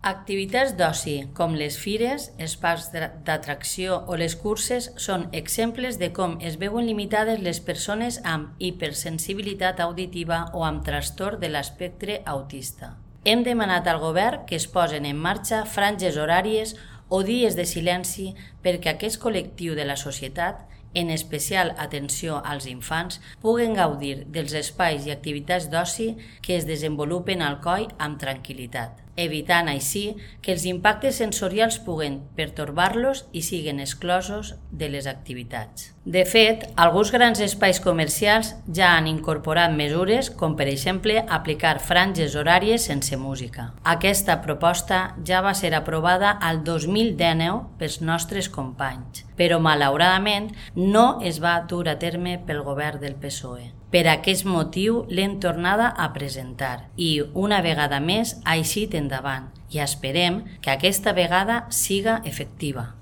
Activitats d'oci, com les fires, els parcs d'atracció o les curses, són exemples de com es veuen limitades les persones amb hipersensibilitat auditiva o amb trastorn de l'espectre autista. Hem demanat al govern que es posen en marxa franges horàries o dies de silenci perquè aquest col·lectiu de la societat, en especial atenció als infants, puguen gaudir dels espais i activitats d'oci que es desenvolupen al coll amb tranquil·litat, evitant així que els impactes sensorials puguen pertorbar-los i siguen exclosos de les activitats. De fet, alguns grans espais comercials ja han incorporat mesures com, per exemple, aplicar franges horàries sense música. Aquesta proposta ja va ser aprovada al 2019 pels nostres companys, però malauradament no es va dur a terme pel govern del PSOE. Per aquest motiu l'hem tornada a presentar i, una vegada més, ha eixit endavant i esperem que aquesta vegada siga efectiva.